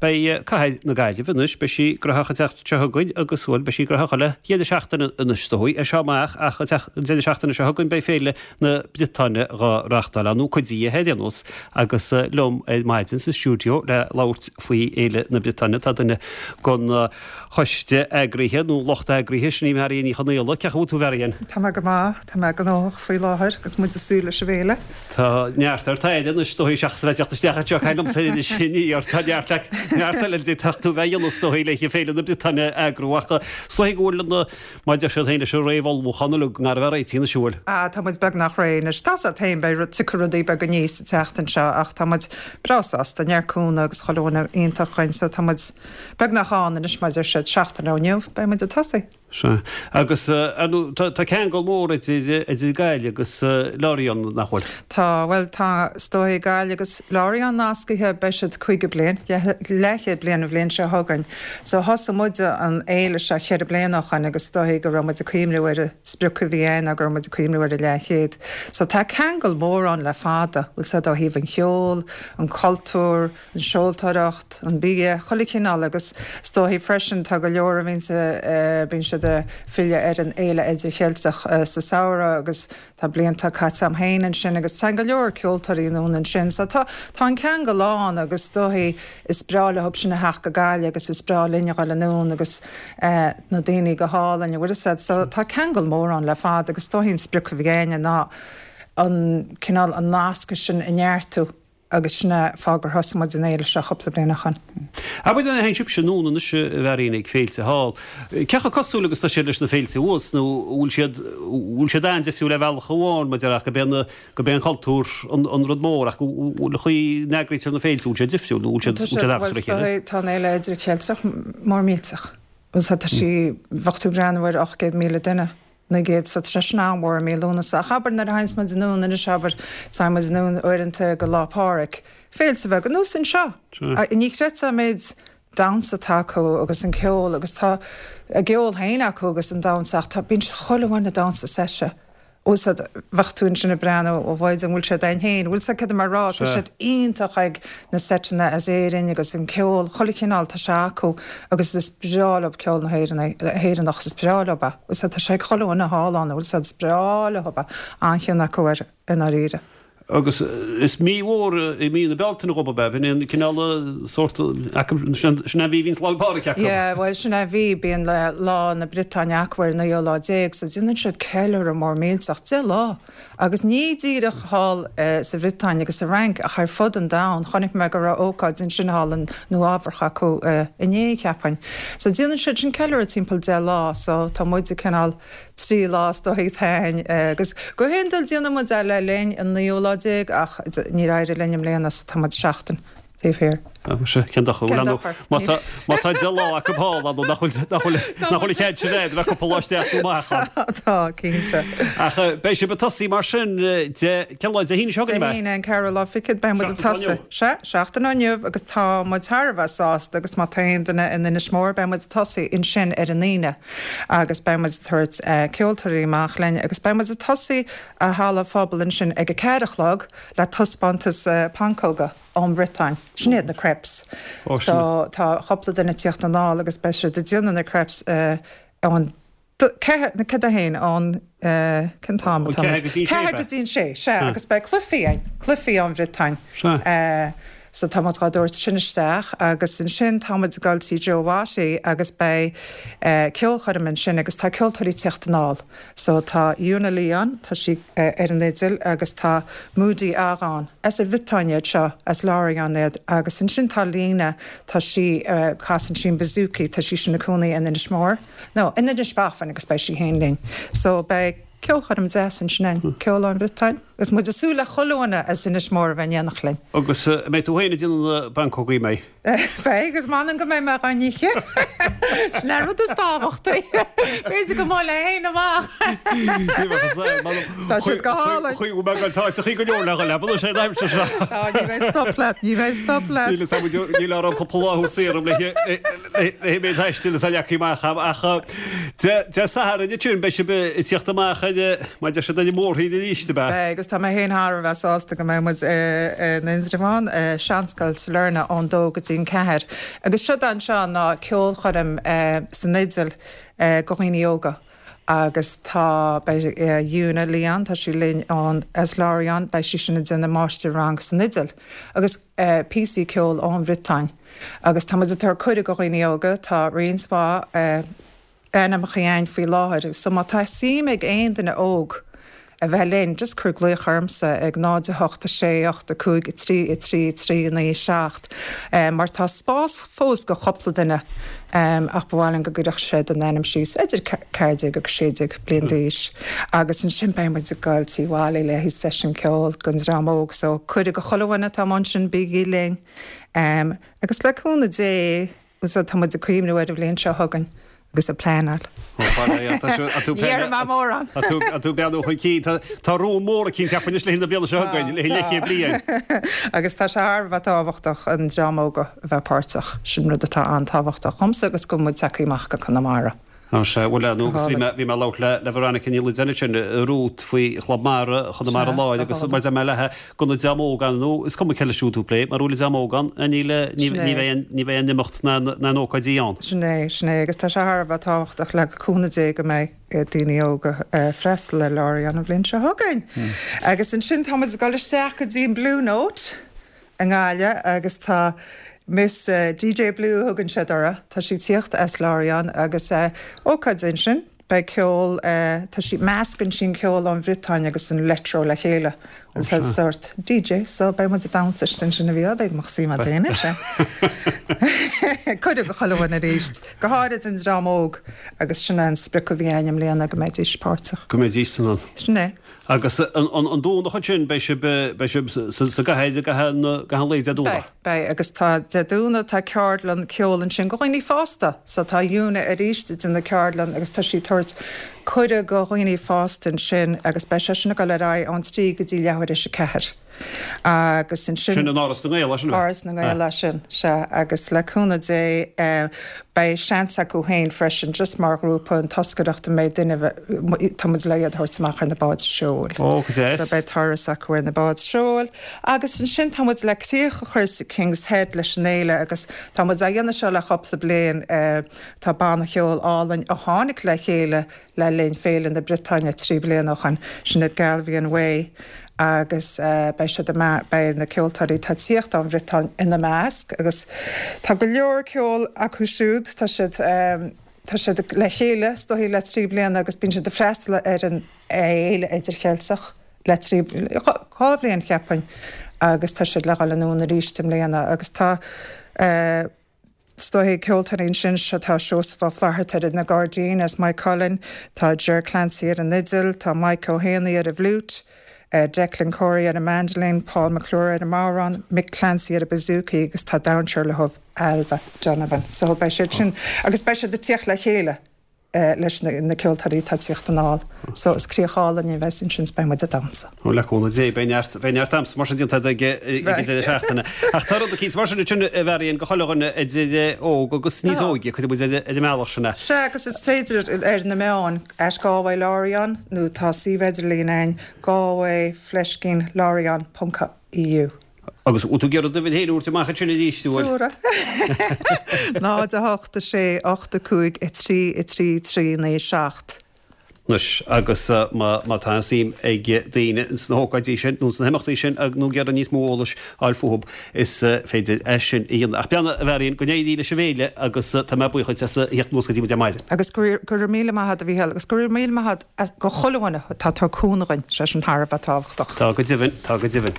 Beidh Cathair na Gaillimhe anois, beidh sí graitheach an tseachtain seo chugainn agus, bhuel, beidh sí graitheach chuile dheireadh seachtaine anois is dóigh, as seo amach ach an deireadh seachtaine seo chugainn beidh Féile na Briotáine dhá reáchtáil ann, nó cuid di ar aon nós, agus liom ar maidin sa stiúideo le labhairt faoi Fhéile na Briotáine tá duine den choiste eagraithe, nó lucht eagraithe, sin í Marion Ní Chonaola. Cén chaoi a bhfuil tú, a Mharion? Tá mé go maith, tá mé gnóthach faoi láthair agus muid ag súil leis an bhféile. Tá neart ort aire anois, is dóigh, seachas a bheith ag teacht isteach anseo ag caint liomsa anois aniar. Tá neart leat, neart eile a d'fhéadfadh tú a bheith a dhéanamh is dóigh le Féile na Briotáine a eagrú ach is dóigh go bhfuil an, mar a deir siad féin leis an réamh-ullmhúchán uilig i ngar a bheith réitithe anois, an bhfuil? Ah, tá muid beagnach réidh anois. Tá 's a't féin, beidh rud, tiocfaidh rudaí beaga aníos an tseachtain seo ach tá muid breá sásta, neart cúnamh agus chuile dhuine iontach againn so tá muid beagnach ann anois mar a deir siad, seachtain ó inniu beidh muid ag tosaí. Sea. Agus, ar ndóigh, tá ceangal mór idir, idir Gaillimh agus Lorient, nach bhfuil? Tá, bhuel, tá, is dóigh, Gaillimh agus Lorient nascaithe, beidh siad 50 bliain, leathchéad bliain an bhliain seo chugainn. So thosaigh muide an fhéile seo cheithre bliana ó shoin agus is dóigh go raibh muid ag cuimhniú ar an sprioc a bhí ann ná go raibh muid ag cuimhniú ar an leathchéad. So tá ceangal mór ann le fada, bhfuil 's a'd ó thaobh an cheoil, an cultúr, an seoltóireacht, an bia, chuile chineál agus is dóichí freisin tá go leor a bhíonns a, bíonn siad ag filleadh ar an Fhéile Idircheilteach sa samhradh agus tá blianta caite a'm féin ansin agus téann go leor ceoltóirí anonn ansin so tá, tá an ceangal ann agus is dóichí is breá leob sin a theacht go Gaillimh agus is breá linn a dhul anonn agus na daoine go hálainn, an bhfuil 'fhios a'd so tá ceangal mór ann le fada agus is dóichí an sprioc a bhí a'inne ná an cineál an nasc sin a neartú. Agus sin é fáth gur thosaigh muid an fhéile seo cúpla bliain ó shoin. Abair nuair a théann sibhse anonn anois a Mharion ag féilte thall, cé chomh cosúil agus tá siad leis na féilte abhus nó an bhfuil siad, bhfuil siad an-difriúil ar bhealach amháin mar deir ach gurb é na, gurb é an cultúr an, an rud mór ach bhfuil an chaoi a n-eagraítear na féilte, bhfuil siad difriúil nó bhfuil siad, bhfuil siad an-chosúil le chéile? Tá an fhéile idircheilteach mór millteach. Bhuel tá sí, bheadh tú ag breathnú ar 800,000 duine. 900 so tá sé sin an-mhór i mí Lúnasa. Ach abair nuair a théanns muid anonn anois abair, téann muid anonn uaireanta go Lá Pádraig, féilte beaga ar nós anseo. Ní chreidfeá an méid damhsa atá acu agus an ceol agus tá a gceol féin acu agus an damhsa ach tá, bíonn siad chuile dhuine ag damhsa seite. Bhfuil 's a'd, bheadh tú ansin ag breathnú, ó mhaide an bhfuil siad ann féin, bhfuil 's a'd céard tá mé a rá, tá siad iontach ag na seiteanna as Éirinn agus an ceol, chuile chineál, tá sé acu agus is breá leo ceol na hÉireann, Éireannach, is breá leo é, bhfuil 's a'd, tá sé ag chuile dhuine thall ann, bhfuil 's a'd, is breá leo é, an-chion acu air i ndáiríre. Agus is mí mhór í mí na Bealtaine dhób ab ea? B'in é an cineál sórt acu, sin an mhí a bhíonns Lá 'le Pádraig acu. Yeah, bhuel sin é an mhí, bíonn Lá na Briotáine acu ar an naoú lá déag, so déanann siad ceiliúradh mór millteach, 10 lá! Agus ní díreach thall sa Bhriotáin agus sa Fhrainc ach ar fud an domhain, chonaic mé go raibh ócáid ansin thall i Nua Eabhrach acu inné, cheapfainn. So déanann siad sin ceiliúradh timpeall 10 lá, so tá muid ag cineál 3 lá is dóigh atá agus go hiondúil déanann muid é le linn an naoú lá déag ach níor éirigh linn i mbliana so tá muid seachtain taobh thiar. Ah, muise, cén dochar, Cén dochar? Má tá, má tá 10 lá acu thall, ar ndóigh, nach bhfuil, nach bhfuil, nach bhfuil an cead sin agat a bheith cúpla lá isteach nó amach ann. Tá, cinnte. Ach beidh sibh ag tosaí mar sin, Dé, cén lá, Dé hAoine seo chugainn, ab ea? Dé hAoine, an ceathrú lá fichead, beidh muid ag Seachtain ó tosaí. inniu. Sea, seachtain ó inniu agus tá muid thar a bheith sásta agus má tá aon duine in Inis Mór, beidh muid ag tosaí ansin ar an Aoine. agus beidh muid ag tabhairt ceoltóirí amach linn agus beidh muid ag tosaí i halla phobail ansin ag a ceathair a chlog le taispeántas pancóga ón Bhriotáin. Sin iad na crêpes. So tá cúpla duine ag tíocht anall agus beidh siad ag déanamh na crêpes ón ceathair, nó cad é féin, ón cén t-am atá muid? Ceathair go dtí an sé, sea, agus beidh cluichí ann, cluichí ón Bhriotáin. So tá muid dhá dtabhairt sin isteach agus ansin tá muid ag dul tí Joe Watty agus beidh ceolchoirm ansin agus tá ceoltóirí ag tíocht anall. So tá Una Leon, tá sí ar an fhidil agus tá Moody Agan, as an Bhriotáin iad seo, as Lorient iad agus ansin tá Lena, tá sí, casann sí an bouzouki, tá sí sin ina cónaí in Inis Mór, no, in Inis Bafann agus beidh sí féin linn. So beidh ceolchoirm deas ansin ann, ceol ón Bhriotáin. Agus muid ag súil le chuile dhuine as Inis Mór a bheith in éineacht linn. Agus an mbeidh tú féin ag déanamh na bpancógaí, an mbeidh? Beidh, agus m'anam go mbeidh mé dhá n-ithe. Sin an rud is tábhachtaí. B'fhéidir go mbuailfidh mé féin amach. Ní bheadh fhios a'm, m'anam. Tá siad go hálainn. Chuig go mbeidh an t-áiteachaí go leor le dhul leat, sé an aimsir seo. Tá, ní bheidh stop leat, ní bheidh stop leat. Níl fhios a'm, níl orm cúpla lá a thabhairt saor le méid taistil atá leagtha amach a'm ach. Dé Sathairn ansin, beidh sibh ag tíocht amach ar, mar a deir siad, ar an mórthír arís, ab ea? Beidh, agus tá mé féin thar a bheith sásta go mbeidh muid in Indreabhán, Seanscoil Sailearna ón dó go dtí an ceathair. Agus seod anseo ná ceolchoirm san fhidil go dhaoine óga agus tá, beidh Una Leon, tá sí linn ón, as Lorient, beidh sí sin ag déanamh máistir-rang san fhidil agus píosaí ceoil ón Bhriotáin. Agus tá muid ag tabhairt cuireadh go dhaoine óga, tá roinnt mhaith ainmneacha againn faoi láthair, so má tá suim ag aon duine óg a bheith linn, just cuir glaoch ormsa ag 0 8 6 8 5 3 3 3 9 7 mar tá spás fós go chúpla duine ach ba mhaith linn go gcuirfeadh siad a n-ainm síos idir 14 agus 16 bliain d'aois agus ansin beidh muid ag goil tí Mholly le haghaidh seisiún ceoil don dream óg so cuireadh go chuile dhuine atá amuigh ansin bígí linn. Agus le cúnamh Dé, tá muid ag cuimhniú ar an bhliain seo chugainn agus ag pleanáil. Ní déarfaidh mé mórán. Tá tú ag breathnú chun cinn. Tá rún mór eicínt acu anois le haghaidh na bliana seo chugainn, le haghaidh leathchéad bliain. Agus tá sé thar a bheith tábhachtach an dream óg a bheith páirteach. Sin rud atá an-tábhachtach dhomsa agus go bhfuil muid tagtha amach go Conamara. Á sea, bhuel, ar ndóigh, agus bhí mé, bhí mé ag labhairt le, le Veronica Ní Loideáin ansin, Ruth, faoi Chlub Mara Chonamara Láir agus mar a deir mé léithe, go bhfuil an dream óg ann, nó is cuma cé leis siúd tú ag plé, mara bhfuil an dream óg ann, níl, ní, ní bheidh aon, ní bheidh aon imeacht ná, ná aon ócáidí ann. Sin é, sin é, agus tá sé thar a bheith tábhachtach le cúnamh Dé go mbeidh daoine óga ag freastal ar Lorient an bhliain seo chugainn. Agus ansin tá muid ag dul isteach go dtí an Blue Note. i nGaillimh agus tá Miss DJ Blue a thugann siad uirthi, tá sí ag tíocht as Lorient agus ócáid ansin, beidh ceol, tá sí, meascann sí an ceol ón Bhriotáin agus an leictreó le chéile agus is sórt DJ so beidh muid ag damhsa istigh ansin a bhí, beidh mo suim a'd féin ansin. Cuireadh go chuile dhuine arís, go háirid an dream óg agus sin é an sprioc a bhí a'inn i mbliana go mbeidís páirteach. Go mbeidís san ann. Sin é. Agus an Domhnach ansin, beidh sibh, beidh sibh sa gcathair i gcaitheamh an lae Dé Domhnaigh? Beidh, beidh. Agus tá Dé Domhnaigh, tá ceardlann ceoil ansin go dhaoine fásta. So tá Una arís ag déanamh ceardlann agus tá sí ag tabhairt cuireadh go dhaoine fásta ansin agus beidh sé sin ag dul ar aghaidh ón trí go dtí leathuair théis a ceathair. Agus ansin. Sin in Áras na nGael, é sin? Áras na nGael é sin, sea. Agus le cúnamh Dé, beidh seans acu féin freisin, just mar ghrúpa, an toscaireacht a mbeidh duine, tá muid le iad a thabhairt amach ar na báid seoil. Ó, go deas. So beidh turas acu ar na báid seoil. Agus ansin tá muid le críoch a chur sa King's Head leis an fhéile agus tá muid á dhéanamh seo le cúpla bliain. Tá banna cheoil álainn a tháinig le chéile le linn Féile na Briotáine 3 bliana ó shoin, sin iad Galvian Way agus beidh siad i beidh na ceoltóirí atá ag tíocht ón Bhriotáin ina measc agus tá go leor ceoil acu siúd, tá siad tá siad le chéile is dóichí le 3 bliana agus bíonn siad ag freastal ar an Fhéile Idircheilteach le 3 2 bhliain cheapfainn agus tá siad le dhul anonn arís i mbliana agus tá Is dóichí ceoltóirí ansin seo tá Seosamh Ó Flatharta ar na gairdín as Maigh Cuilinn, tá Ger Clancy ar an fhidil, tá Mike Ó hÉanaí ar an bhfliúit, Declan Corey ar an mandolin, Paul McClure ar an mbodhrán, Mick Clancy ar an bouzouki agus tá damhsóir leo Ailbhe Donovan. So beidh siad sin agus beidh siad ag tíocht le chéile. leis na ceoltóirí atá ag tíocht anall. So is críoch álainn a bheas ansin 's beidh muid ag damhsa. Ó le cúnamh Dé beidh neart, beidh neart damhsa mar sin déanta ag ag an deireadh seachtaine. Ach tá rud eicínt mar sin ansin a Mharion go chuile dhuine idir óg agus níos óige, cuirfidh muid ar an mbealach sin é. Sea agus is féidir ar na meáin, at Galway Lorient nó tá suíomh idirlín againn, Galway fleiscín Lorient ponc EU. Agus bhfuil tú ag iarraidh d'uimhir féin a thabhairt amach ansin arís, an bhfuil? Sure. 0 8 6 8 5 3 3 3 9 7. Anois, agus má tá suim ag daoine sna hócáidí sin nó sna himeachtaí sin nó ag iarraidh níos mó eolais a fháil fúthu, is féidir é sin a dhéanamh. Ach beannacht, a Mharion, go n-éirí leis an bhféile agus tá mé buíoch duit as a theacht anuas go dtí muid ar maidin. Agus go raibh míle maith agat, a Mhícheáil, agus go raibh míle maith agat go chuile dhuine atá ag tabhairt cúnamh dhuinn, sé sin thar a bheith tábhachtach. Tá go deimhin, tá go deimhin.